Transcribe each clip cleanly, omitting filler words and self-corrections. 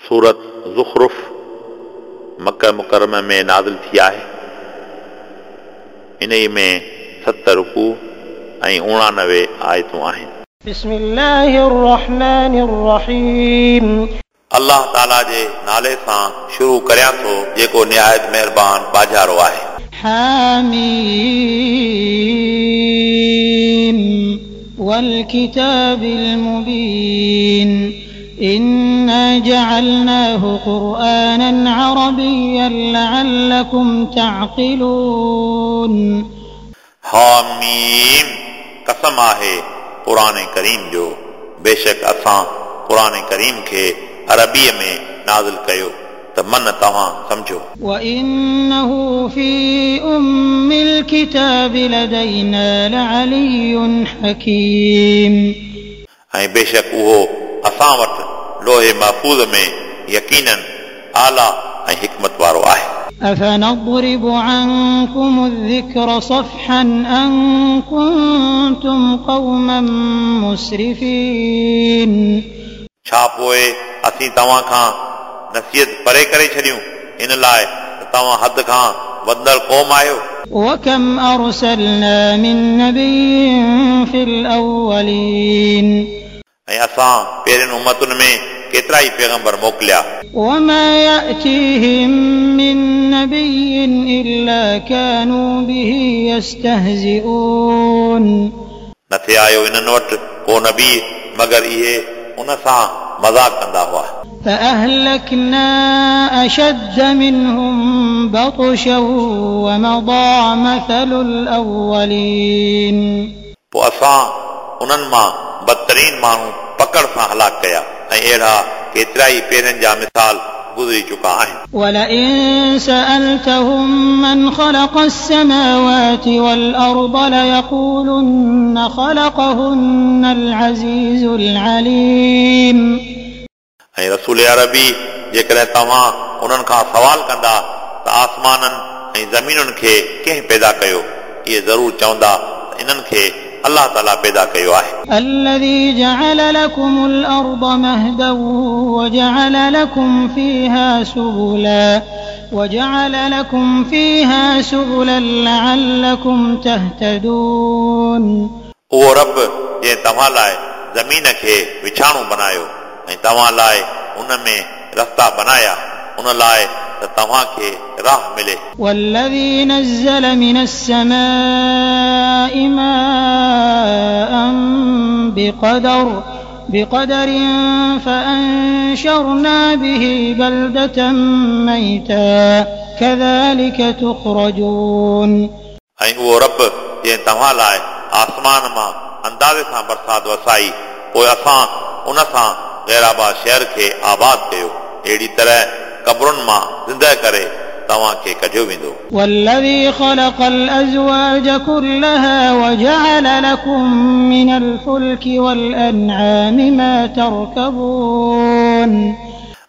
सूरत ज़ुख़रुफ़ मक्का मुकर्रमा में नाज़िल थी आहे। इन्ही में 7 रुकू ऐं 89 आयतूं आहिनि। बिस्मिल्लाहिर्रहमानिर्रहीम। अल्लाह ताला जे नाले सां शुरू करियां थो जेको निहायत महिरबान बाजारो आहे। हामीम वल किताबिल मुबीन इन्ना जअलनाहु कुरआनन अरबिय्यन लअल्लकुम तअक़िलून। हामीम कसम आहे कुरान करीम जो, बेशक असां कुरान करीम खे अरबीअ में नाज़िल कयो त मन तव्हां सम्झो। वइन्नहु फी उम्मिल किताब लदैना लअलिय्युन हकीम। ऐं बेशक उहो असां वटि लोहे महफ़ूज़ में यकीनन आला ऐं हिकमत वारो आहे। अफनضرب عنكم الذكر صفحا أن كنتم قوما مسرفين। छा पोइ असीं तव्हां खां नसीहत परे करे छॾियूं इन लाइ त तव्हां हद खां वधंदड़ क़ौम आहियो। वकम अरसलना मिन नबिय्यिन फिल अव्वलीन। ऐं असां पहिरियनि उम्मतुनि में केतिरा ई पैगंबर मोकिलिया। वमा यअतीहिम मिन नबिय्यिन इल्ला कानू बिही यस्तहज़िऊन। नथे आयो इन्हनि वटि को नबी मगर इहे उन सां मज़ाक कंदा हुआ। फअहलकना अशद्द मिनहुम बतशा वमदा मसलुल अव्वलीन। पोइ असां उन्हनि मां बदतरीन माण्हू पकड़ सां हलाक कया ऐं अहिड़ा केतिरा ई पहिरियनि जा मिसाल गुज़री चुका आहिनि। वलइन सअलतहुम मन खलक़ अस्समावाति वल अर्द लयक़ूलुन्न खलक़हुन्नल अज़ीज़ुल अलीम। ऐं रसूल अरबी जेकॾहिं तव्हां उन्हनि खां सवाल कंदा त आसमाननि ऐं ज़मीनुनि खे कंहिं पैदा कयो, इहे ज़रूरु चवंदा त इन्हनि खे अल्लाह ताला पैदा कयो आहे। الذي جعل لكم الأرض مهدا وجعل لكم فيها سبلا لعلكم تهتدون। उहो रब जंहिं तव्हां लाइ ज़मीन खे विछाणो बनायो ऐं तव्हां लाइ उन में रस्ता बनाया, उन लाइ त तव्हां खे राह मिले। والذي نزل من السماء ماء بقدر فأنشرنا به بلدة ميتا كذلك تخرجون। ऐं उहो रब जंहिं तव्हां लाइ आसमान मां अंदाज़े सां बरसात वसाई, पोइ असां उन सां ग़ैराबाद शहर खे आबाद कयो, अहिड़ी तरह क़बरुनि मां ज़िंदा करे तव्हां खे कढियो वेंदो। والذي خلق الأزواج كلها وجعل لكم من الفلك والأنعام ما تركبون।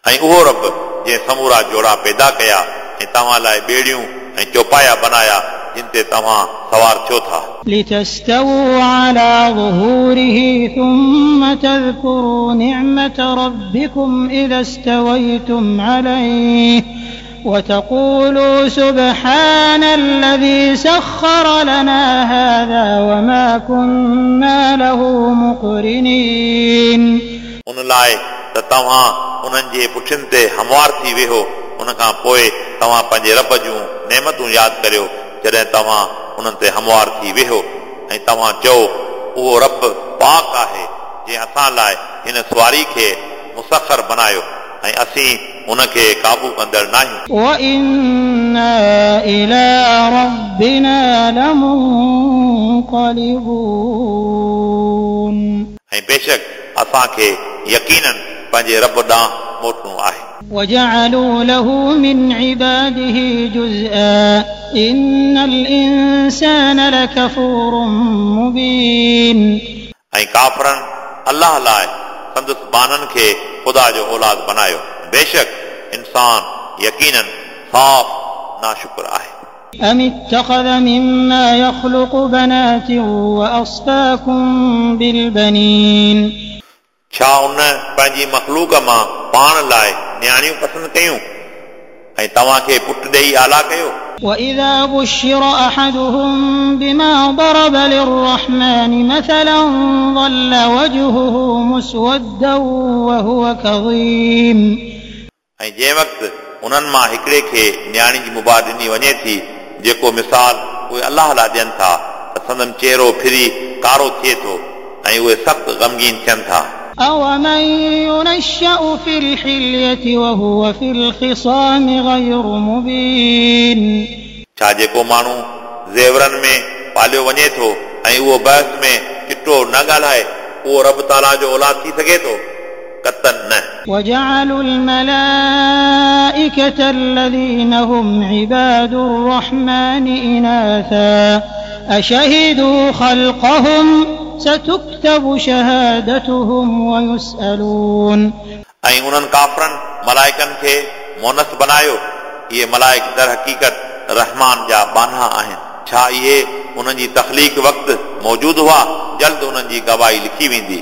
ऐं उहो रब जंहिं समूरा जोड़ा पैदा कया ऐं तव्हां लाइ ॿेड़ियूं ऐं चौपाया बनाया जिन ते तव्हां सवार थियो था। لتستووا على ظهوره ثم تذكروا نعمة ربكم إذا استويتم عليه وتقولوا سبحان الذي سخر لنا هذا وما كنا له مقرنين। उन लाइ त तव्हां उन्हनि जे पुठियुनि ते हमवार थी वेहो, उन खां पोइ तव्हां पंहिंजे रब जूं नेमतूं यादि करियो जॾहिं तव्हां उन्हनि ते हमवार थी वेहो ऐं तव्हां चओ उहो रब पाक आहे जंहिं असां लाइ हिन सवारी खे मुसखर बनायो ऐं असीं उनखे काबू कंदड़ नाहियूं। वइन्ना इला रब्बिना लमुनक़लिबून। ऐं बेशक असांखे यकीनन पंहिंजे रब ॾांहुं मोटणो आहे। वजअलू लहू मिन इबादिही जुज़आ इन्नल इंसान लकफूरुम मुबीन। ऐं काफ़रनि अल्लाह लाइ संदसि ॿान्हनि खे ख़ुदा जो औलाद बनायो, बेशक इंसान यकीनन साफ़ नाशुक्र आहे। अम इत्तख़ज़ मिम्मा यख़लुक़ु बनातिन वअस्फ़ाकुम बिलबनीन। छा उन पंहिंजी मख़लूक मां पाण लाइ नियाणियूं पसंदि कयूं ऐं तव्हांखे पुट ॾेई आला कयो। وإذا بشر أحدهم بما ضرب للرحمن مثلا ظل وجهه مسودا وهو كظيم। ऐं जंहिं वक़्तु उन्हनि मां हिकिड़े खे नियाणी जी मुबारक ॾिनी वञे थी, जेको मिसाल उहे अलाह लाइ ॾियनि था, त संदन चहिरो फिरी कारो थिए थो ऐं उहे सख़्तु ग़मगीन थियनि था। أومن ينشأ في الحلية وهو في الخصام غير مبين। छा जेको माण्हू ज़ेवरनि में पालियो वञे थो ऐं उहो बहस में चिटो न ॻाल्हाए, उहो रब ताला जो औलाद थी सघे थो? कतन न। وجعلوا الملائكة الذين هم عباد الرحمن إناثا أشهدوا خلقهم ستكتب شهادتهم ويسألون। ऐं उन्हनि काफ़रनि मलाइकनि खे मोनस बनायो। इहे मलाइक दर हक़ीक़त रहमान जा बान्हा आहिनि। छा इहे उन्हनि जी तख़लीक़ वक़्तु मौजूदु हुआ? जल्द उन्हनि जी गवाही लिखी वेंदी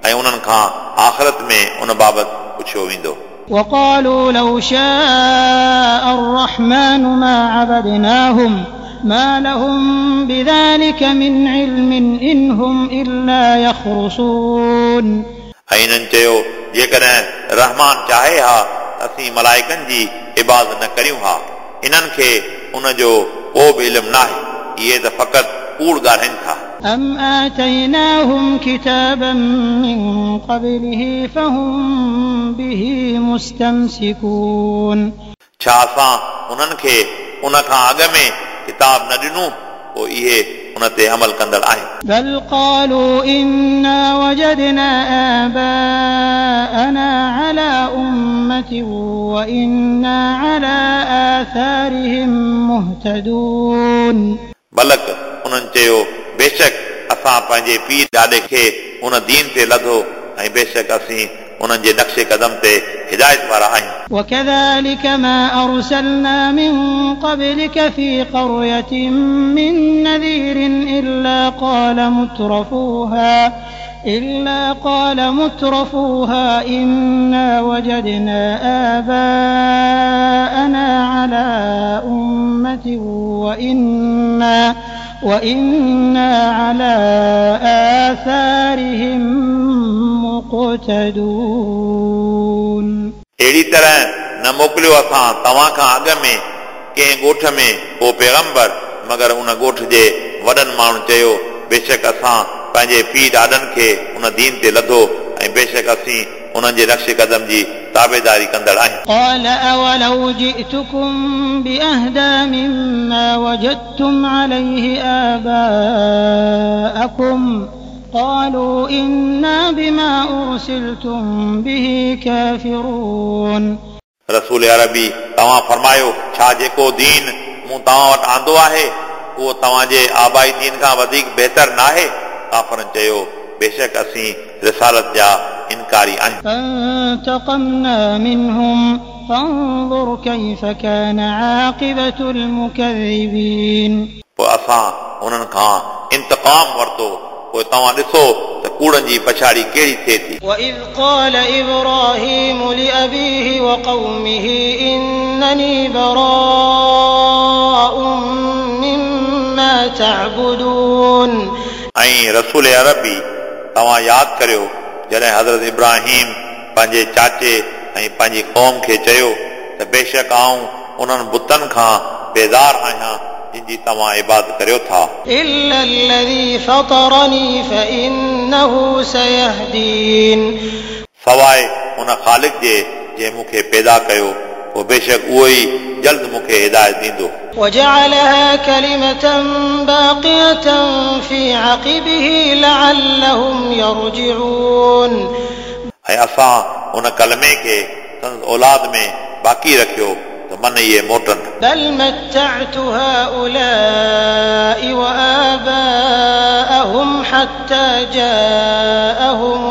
ऐं उन्हनि खां आख़िरत में उन बाबति पुछियो वेंदो। وقالوا لو شاء الرحمن ما عبدناهم ما لهم بذلك من علم إن هم إلا يخرصون। ऐं इन्हनि चयो, जेकॾहिं रहमान चाहे हा त असीं मलाइकनि जी इबादत न करियूं हा। इन्हनि खे उन जो को बि इल्मु नाहे, इहे त फ़क़ति कूड़ ॻाल्हाइनि था। أم آتيناهم كتابا من قبله فهم به مستمسكون। छा असां उन्हनि खे उन खां अॻु में किताब न ॾिनो, पोइ इहे उन ते अमल कंदड़ आहिनि। بل قالوا إنا وجدنا آباءنا على أمة وإنا على آثارهم مهتدون। बलक उन्हनि चयो, बेशक असां पंहिंजे पीउ ॾाॾे खे उन दीन ते लधो ऐं बेशक असीं उन्हनि जे नक्शे कदम ते हिदायत वारा आहियूं। وكذلك ما أرسلنا من قبلك في قرية من نذير إلا قال مترفوها إنا وجدنا آباءنا على أمة وإنا على آثارهم مقتدون। अहिड़ी तरह न मोकिलियो असां तव्हां खां अॻु में कंहिं ॻोठ में को पैगंबर, मगर उन ॻोठ जे वॾनि माण्हुनि चयो, बेशक असां पंहिंजे पीउ ॾाॾनि खे उन दीन ते लधो ऐं बेशक असीं उन्हनि जे नक्शे कदम जी ताबेदारी कंदड़ आहियूं। قال أولو جئتكم بأهدى مما وجدتم عليه آباءكم قالوا إنا بما أرسلتم به كافرون। रसूल अरबी तव्हां फरमायो, छा जेको दीन मूं तव्हां वटि आंदो आहे उहो तव्हांजे आबाई दीन खां वधीक बहितर नाहे? काफ़रनि चयो, बेशक असीं रिसालत जा इनकारी आहियूं। فانتقمنا منهم فانظر كيف كان عاقبة المكذبين। पोइ असां उन्हनि खां इंतक़ाम वरितो, पोइ तव्हां ॾिसो त कूड़नि जी पछाड़ी कहिड़ी थिए थी। وإذ قال إبراهيم لأبيه وقومه إنني براء مما تعبدون। ऐं रसूल अरबी तव्हां यादि करियो जॾहिं हज़रत इब्राहिम पंहिंजे चाचे ऐं पंहिंजी क़ौम खे चयो त बेशक आउं उन्हनि बुतनि खां बेज़ार आहियां जिन जी तव्हां इबादत करियो था। إلا الذي فطرني فإنه سيهدين। सवाइ उन ख़ालिक़ जे जंहिं मूंखे पैदा कयो, पोइ बेशक उहो ई जल्द मूंखे हिदायत ॾींदो। وجعلها كلمة باقية في عقبه لعلهم يرجعون। ऐं असां उन कलमे खे संदसि औलाद में बाक़ी रखियो त मन इहे मोटनि। بل متعت هؤلاء وآباءهم حتى جاءهم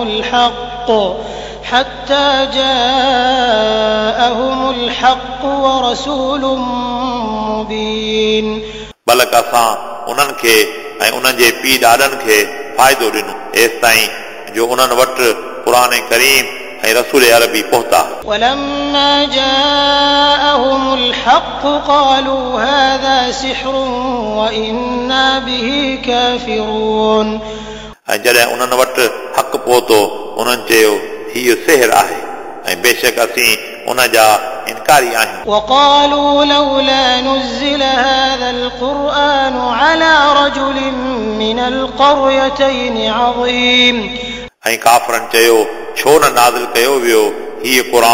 الحق ورسول مبين। बलक असां उन्हनि खे ऐं उन्हनि जे पीउ ॾाॾनि खे फ़ाइदो ॾिनो, एसि ताईं जो उन्हनि वटि क़ुर करीम ऐं रसूल अरबी पहुता। ولما جاءهم الحق قالوا هذا سحر وإنا به كافرون। ऐं जॾहिं उन्हनि वटि हक़ पहुतो उन्हनि चयो हीउ सिहर आहे ऐं बेशक असीं उन जा इनकारी आहियूं। وقالوا لولا نزل هذا القرآن على رجل من القريتين عظيم। ऐं काफ़रनि चयो छो न नाज़िल कयो वियो हीउ क़ुर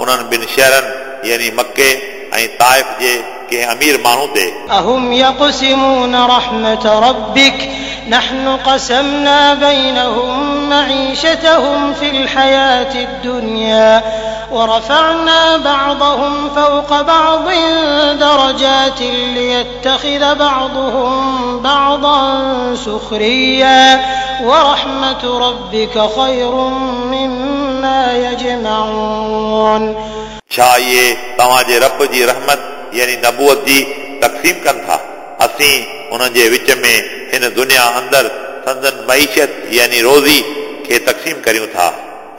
उन्हनि ॿिनि शहरनि यानी मक्के ऐं ताइफ़ जे कंहिं अमीर माण्हू ते। أهم يقسمون رحمة ربك نحن قسمنا بينهم معيشتهم في الحياة الدنيا ورفعنا بعضهم فوق بعض درجات ليتخذ بعضهم بعضا سخريا ورحمة ربك خير مما يجمعون। छा इहे तव्हांजे रब जी रहमत यानी नबूअत जी तक़सीम कनि था? असीं उन्हनि जे विच में हिन दुनिया अंदरि संदन मईशत यानी रोज़ी खे तक़सीम करियूं था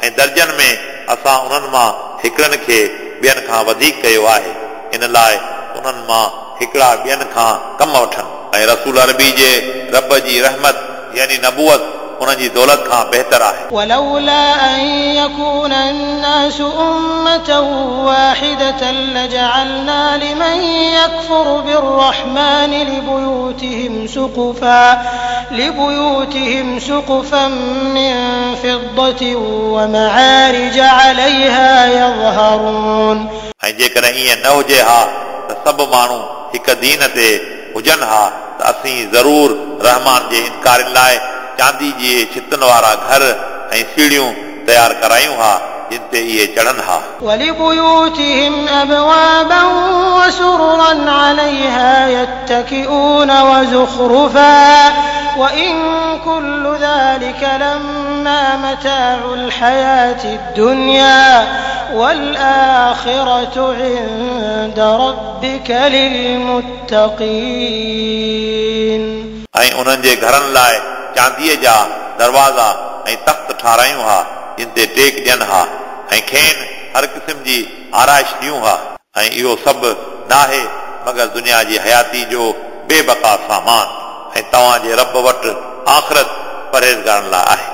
ऐं दर्जनि में असां उन्हनि मां हिकिड़नि खे ॿियनि खां वधीक कयो आहे, इन लाइ उन्हनि मां हिकिड़ा ॿियनि खां कम वठनि। ऐं रसूल अरबी जे रब जी रहमत यानी नबूअत उन्हनि जी दौलत खां बहितर आहे। ولولا أن يكون الناس أمة واحدة لجعلنا لمن يكفر بالرحمن لبيوتهم سقفا من فضة ومعارج عليها يظهرون। ऐं जेकॾहिं ईअं न हुजे हा त सभु माण्हू हिकु दीन ते हुजनि हा त असीं ज़रूर रहमान जे इनकारियुनि लाइ चांदी जे छितनि वारा घर ऐं सीढ़ियूं तयारु करायूं हा जिन ते इहे चढ़नि हा। ولبيوتهم أبوابا وسررا عليها يتكئون وزخرفا وإن كل ذلك لما متاع الحياة الدنيا والآخرة عند ربك للمتقين। ऐं उन्हनि जे घरनि लाइ चांदीअ जा दरवाज़ा ऐं तख़्त ठारायूं हा जिन ते टेक ॾियनि हा ऐं खेनि हर क़िस्म जी आराइश ॾियूं हा। ऐं इहो सभु नाहे मगर दुनिया जी हयाती जो बेबका सामान ऐं तव्हांजे रब वटि आख़िरत परहेज़गारनि लाइ आहे।